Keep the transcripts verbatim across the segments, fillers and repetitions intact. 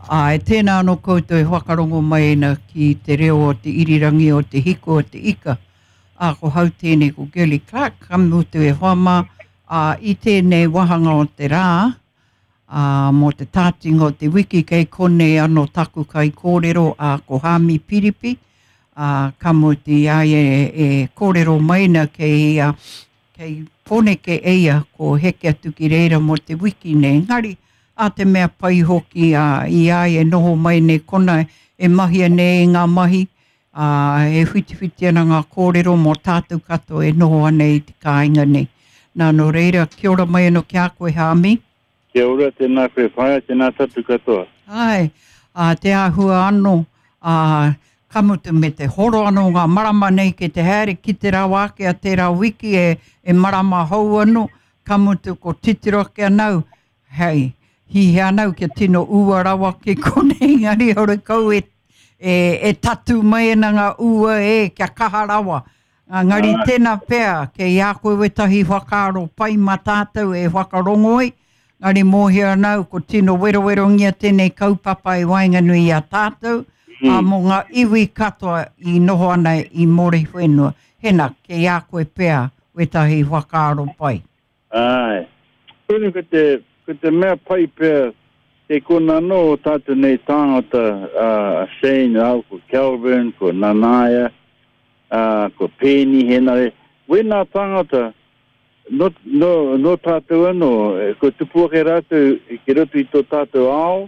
Āe, tēnā anō koutou e whakarongo mai ana ki te reo o te irirangi o te hiko o te ika. Ā, ko hau tēnei ko Girlie Clark, ka mutu e hoa mā, ā, i tēnei wāhanga o te rā, ā, mō te tātinga o te wiki kei konei anō taku kaikōrero, ā, ko Haami Piripi, ā, ka mutu i a ia e, e kōrero mai ana kei, ā, kei Pōneke e ia, ko heke atu ki reira mō te wiki nei. Engari, a te mea pai hoki, ā, i a ia e noho mai nei kona e mahia nei ngā mahi, ā, e whitiwhiti ana ngā kōrero mō tātou katoa e noho ana i te kāinga nei. Nā, nō reira, kia ora mai anō ki a koe, Haami. Kia ora, tēnā koe whaea, tēnā tātou katoa. Āe, ā, te āhua anō, ā, ka mutu me te horo anō ngā marama nei ki te haere ki te rawa ake a tērā wiki e, e marama hou anō, ka mutu ko titiro ake anau, hei, hihia anau kia tino ua rawa ki konei, engari horekau e, e, e tatū mai ana ngā ua e, kia kaha rawa. Engari tēnā pea, kei a koe wētahi whakaaro pai mā tātou e whakarongo ai, engari mōhio ana au ko tino werowerongia tēnei kaupapa i waenganui i a tātou, ā, mō ngā iwi katoa i noho ana i Moriwhenua. Hena, kei a koe pea wētahi whakaaro pai. Āe. Koinei ko te, ko te mea pai pea, kei kona anō o tātou nei tāngata, a Shane rāua ko Kelvin, ko Nanaia, ā, ko Peeni Henare, wēnā tāngata, nō, nō, nō tātou anō, kua tupu ake rātou ki roto i tō tātou ao,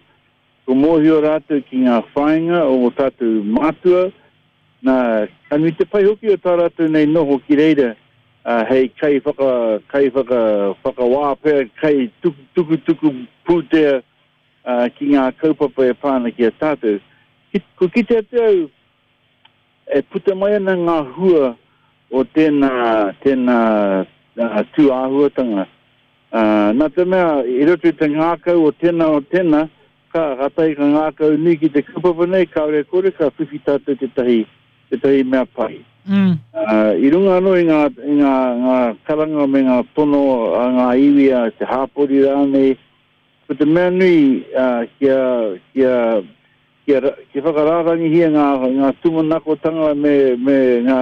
kua mōhio rātou ki ngā whāinga o ō tātou mātua, nā, ka nui te pai hoki o tā rātou nei noho ki reira, ā, hei kai whaka, kai whaka, whakawā pea, kai tuku, tukutuku pūtea, ā, ki ngā kaupapa e pā ana ki a tātou. Ki, kua kite atu au, e puta mai ana ngā hua o tēnā, tēnā tū āhuatanga. Ā, nā te mea, i roto i te ngākau o tēnā o tēnā, ka, kātahi ka ngākau nui ki te kaupapa nei, kāore e kore ka whiwhi tātou tētahi, tētahi mea pai. Mm. Ā, i runga anō i ngā, i ngā, ngā karanga me ngā tono a ngā iwi, a te hāpori rānei, ko te mea nui, ā, kia, kia, kia, kia whakarārangihia ngā, ngā tūmanakotanga me, me ngā,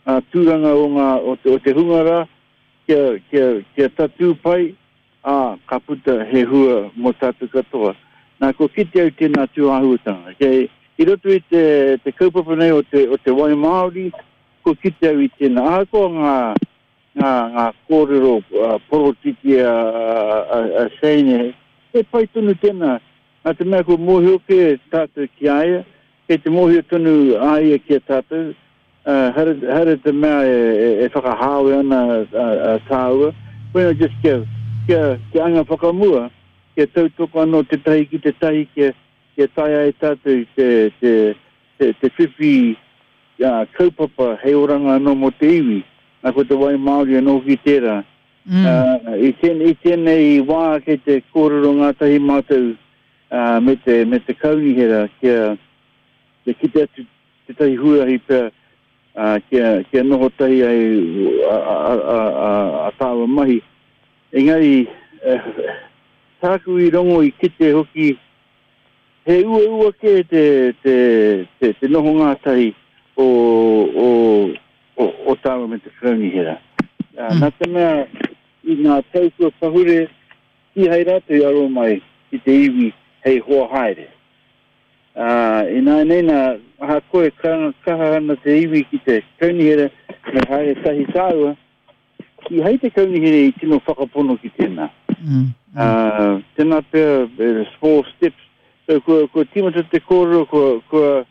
ngā tūranga o, ngā, o, te, o te hunga rā, kia, kia, kia tatū pai, ā, ka puta he hua mō tātou katoa. Nā, kua kite au tēnā tūāhuatanga. Kei, i roto i te, te kaupapa nei o te, o te wai Māori, kua kite au i tēnā. Ahakoa ngā, ngā, ngā kōrero uh, porotiki a, a, a Shane, he pai tonu tēnā. Nā te mea kua mōhio kē tātou ki a ia, kei te mōhio tonu a ia ki a tātou, uh, haere, haere te mea e, e, e whakahāwe ana a, a tāua, koina just kia, kia, kia anga whakamua, kia tautoko anō tētahi ki tētahi, kia, kia taea ai tātou te, te, te, te whiwhi uh, kaupapa hei oranga anō mō te iwi. Nā, ko te wai Māori anō hoki tērā. Mm. Uh, i, tēn, i tēnei wā kei te kōrero ngātahi mātou uh, me te, me te kaunihera kia, kia kite atu tētahi huarahi pea uh, kia, kia noho tahi ai a, a, a, a, a tāua mahi. Engari, eh, tāku i rongo i kite hoki, he uaua kē te, te, te, te noho ngātahi o, o, o, o tāua me te kaunihera. Uh, Mm. Nā te mea, i ngā tau kua pahure, kīhai rātou i aro mai ki te iwi hei hoa haere. Uh, ināianei nā, ahakoa e karanga kaha ana te iwi ki te kaunihera me haere tahi tāua, kīhai te kaunihera i tino whakapono ki tēnā. Mm. Mm. Uh, tēnā pea, eh, small steps. So, kua, kua tīmata te kōrero, kua, kua,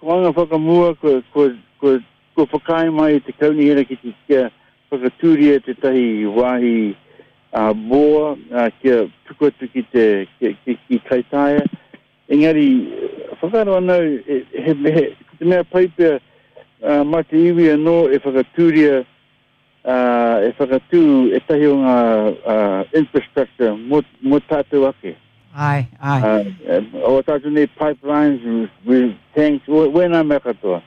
kua anga whakamua, kua, kua, kua, kua whakaae mai te kaunihera ki te kia whakatūria tētahi wāhi uh, boa, uh, kia tuku atu ki te ki, ki, ki Kaitaia. Engari, whakaaro ana au, he, he, he, ko te mea pai pea, uh, mā te iwi anō e whakatūria, uh, e whakatū ētahi o ngā uh, infrastructure mō, mō tātou ake. Ai, ai. Uh, o tātou nei pipelines, we, tanks, wēnā mea katoa.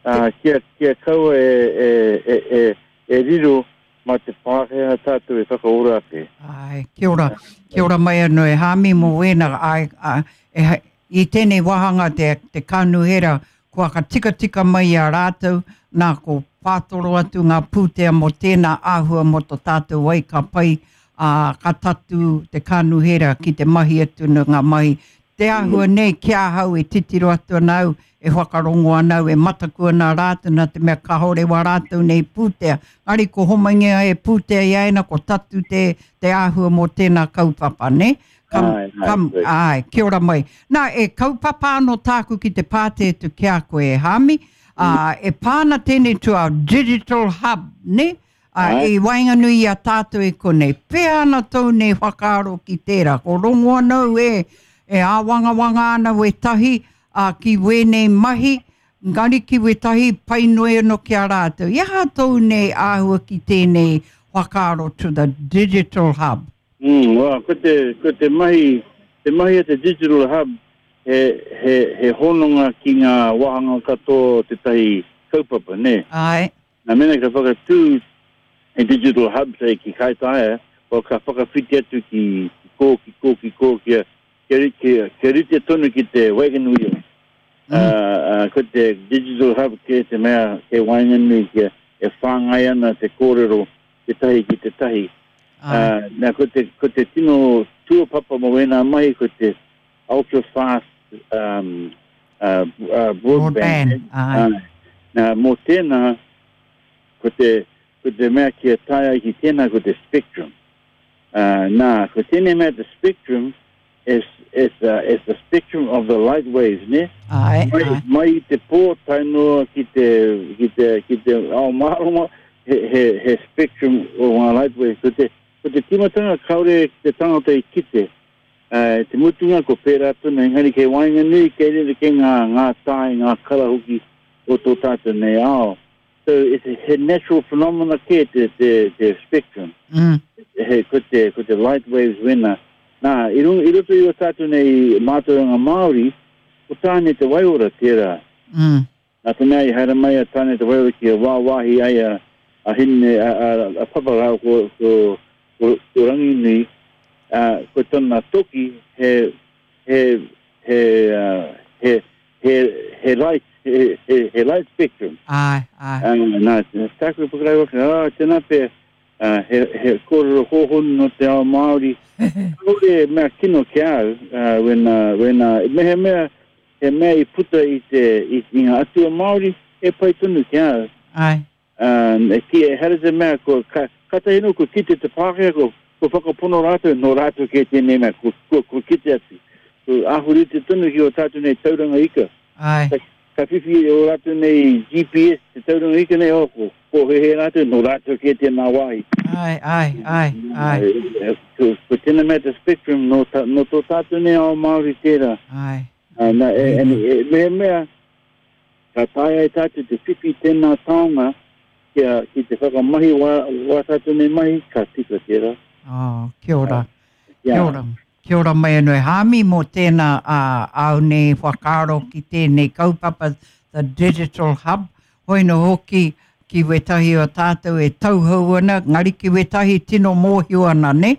Uh, kia, kia kaua e, e, e, e, e riro mā te Pākehā tātou e whakaora ake. Ai, kia ora, kia ora mai anō e Haami mō wēnā, ai, ai, e, I tēnei wāhanga te, te kanuhera, kua ka tikatika mai i a rātou, nā ko pātoro atu ngā pūtea mō tēnā āhua mō tō tātou ai ka pai, ā, ka tatu te kanuhera ki te mahi atu nā ngā mahi. Te āhua nei ki ahau e titiro atu ana au, e whakarongo ana au, e mataku ana rātou nā te mea kāore wā rātou nei pūtea. Ngari ko homaingia e pūtea i aina, ko tatu te, te āhua mō tēnā kaupapa, ne? Kam, Ai, ai, kam, ai. ai, kia ora mai. Nā, e kaupapa anō tāku ki te pāte atu ki a koe e Hami, ā, e pāna tēnei to our digital hub, ne? Ā, Ai. i waenganui i a tātou e konei. Pēhea ana tōu nei whakaaro ki tērā. Ko rongo ana au e, e āwangawanga ana wētahi, ā, ki wēnei mahi, ngari ki wētahi pai noi anō ki a rātou. I aha tōu nei āhua ki tēnei whakaaro to the digital hub? Mm, well, ko te, ko te mahi, te mahi a te digital hub, he, he, he hononga ki ngā wāhanga katoa o tētahi kaupapa, ne? Ai. Nā mena ka whakatū e digital hub sei ki Kaitaia, o ka whakawhiti atu ki, ki kō, ki kō, ki kō, kia, kia, kia, kia rite tonu ki te wagon wheel. Mm. Uh, uh, ko te digital hub ke te mea ke waenganui kia e whāngai ana te kōrero te tahi ki te tahi. Ai. Uh, nā, ko te, ko te tino tuapapa mō wēnā mai, ko te ultra fast um, uh, uh, broadband. Broadband, ai. Uh, nā, mō tēnā, ko te, ko te mea kia tae ai ki tēnā, ko te spectrum. Uh, nā, ko tēnei mea te spectrum is, is, uh, is the spectrum of the light waves, ne? Ai, Mai, ai. mai i te pō tae noa ki te, ki te, ki te ao mārama, he, he, he spectrum o ngā light waves. Ko te, ko te timatanga kaure te tangata i kite. Uh, te mutunga ko pērā tonu, engari kei waenganui, kei rere kei ngā, ngā tae, ngā kara hoki o tō tātou nei ao. So it's a he natural phenomena kē te, te, te spectrum. Mm. He, ko te, ko te light waves wena. Nā, i, runga, i roto i o tātou nei mātauranga Māori, ko Tāne te Waiora tērā. Mm. Nā te mea i haere mai a Tāne te Waiora ki a wāwāhi ai a, a Hine, a, a, a Papa rāua ko, ko, ko, ko Ranginui, uh, ko tōna toki he, he, he, uh, he, he, he light, he, he, he light spectrum. Ai, ai. Uh, nā, tāku whakarau ake, ah, tēnā pea, uh, he, he kōrero hōhonu no te ao Māori. Kāore mea kino ki au, uh, when, uh, when, uh, me he mea, he mea i puta i te, i, i ngā atua Māori, e pai tonu ki au. Ai. Um, e ki, e here te mea, ko, ka, katahi no, ko kite te Pākehā, ko, ko whakapono rātou, no rātou kē tēnei mea, ko, ko, ko kite atu. Ko ahurite tonu ki o tātou nei tauranga ika. Ai. Ka, ka whiwhi o rātou nei G P S, te tauranga ika nei, oh, ko, ko hehe rātou, no rātou kē tēnā wāhi. Ai, ai, ai, ai. E, ko, ko tēnā mea te spectrum, no, ta, no tō tātou nei ao Māori tērā. Ai. Uh, nā, e, e, e, me he mea, ka taea e tātou te whiwhi tēnā taonga, kia, ki te whakamahi wā, wā tātou nei mahi, ka tika tērā. Oh, kia ora. Yeah. Kia ora. Kia ora mai anō e Hami mō tēnā uh, au nei whakaaro ki tēnei kaupapa, the Digital Hub. Hoi no hoki ki wētahi o tātou e tauhou ana, ngari ki wētahi tino mōhio ana, ne?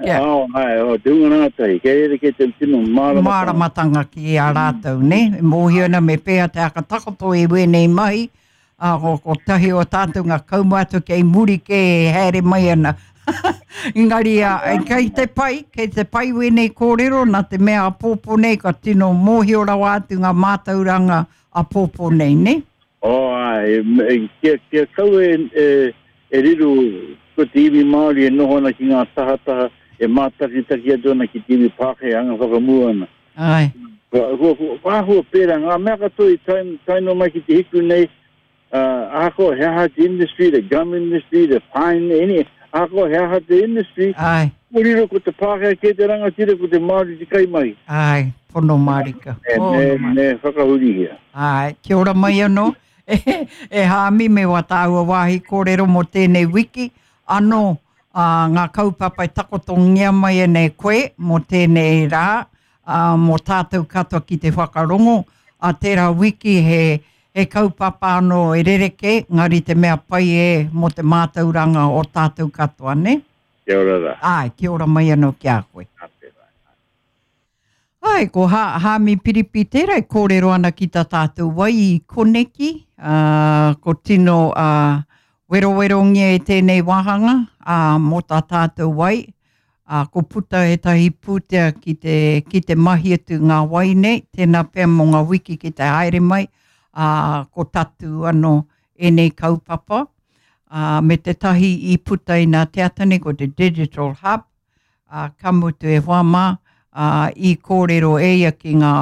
Kia, Oh, ai, oh, te hunga rangatahi, kei rere kei te tino māramatanga. Māramatanga ki a rātou, ne? E mōhio ana me pēhea te akatakoto i wēnei mahi, a ko, ko tahi o tātou ngā kaumātua kei muri kē e haere mai ana. Engari, a, e, kei te pai, kei te pai wēnei kōrero, nā te mea a pōpō nei, ka tino mōhio rawa atu ngā mātauranga a pōpō nei, ne? Oh, ai, e, e, kia, kia kau e, e, e riro ko te iwi Māori e noho ana ki ngā tahataha, e mātakitaki atu ana ki te iwi Pākehā anga whakamua ana. Ai. Ko, ko, ko, ko āhua pērā, ngā mea katoa i tae, tae noa mai ki te hiku nei, uh, ahakoa he aha te industry, the gum industry, the pine, any, ahakoa he aha te industry, Ai. ko riro ko te Pākehā kē te rangatira, ko te Māori te kaimahi. Ai, pono mārika. E, Pono me, mārika. me whakahurihia. Ai, kia ora mai anō. E, e Hāmi me wā tāua wāhi kōrero mō tēnei wiki. Anō, ā, ngā kaupapa e takotongia mai e nei koe mō tēnei rā, ā, mō tātou katoa ki te whakarongo. A tērā wiki he, he kaupapa anō e rereke, ngari te mea pai e mō te mātauranga o tātou katoa, ne? Kia ora rā. Ai, kia ora mai anō ki a koe. Ai, ko ha, Hāmi Piripi tērā e kōrero ana ki tā tātou wai i koneki, uh, ko tino uh, werowerongia e tēnei wāhanga uh, mō tā tātou wai, uh, ko puta ētahi pūtea ki te, ki te mahi atu ngā wai nei, tēnā pea mō ngā wiki ki te haere mai, uh, ko tatu anō ēnei kaupapa, uh, me te tahi i puta i nā te ata nei, ko te Digital Hub, uh, ka mutu e hoa mā, uh, i kōrero e ia ki ngā,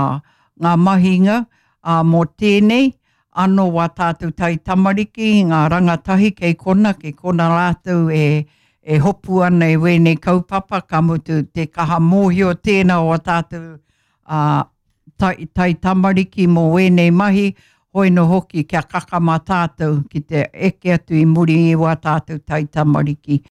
ngā mahinga uh, mō tēnei, anō wā tātou tai tamariki, ngā rangatahi kei kona, kei kona rātou e, e hopu ana e wēnei kaupapa, ka mutu te kaha mōhio tēnā o tātou uh, tai, tai tamariki mō wēnei mahi, hoi no hoki kia kakama tātou ki te eke atu i muri i wā tātou tai tamariki.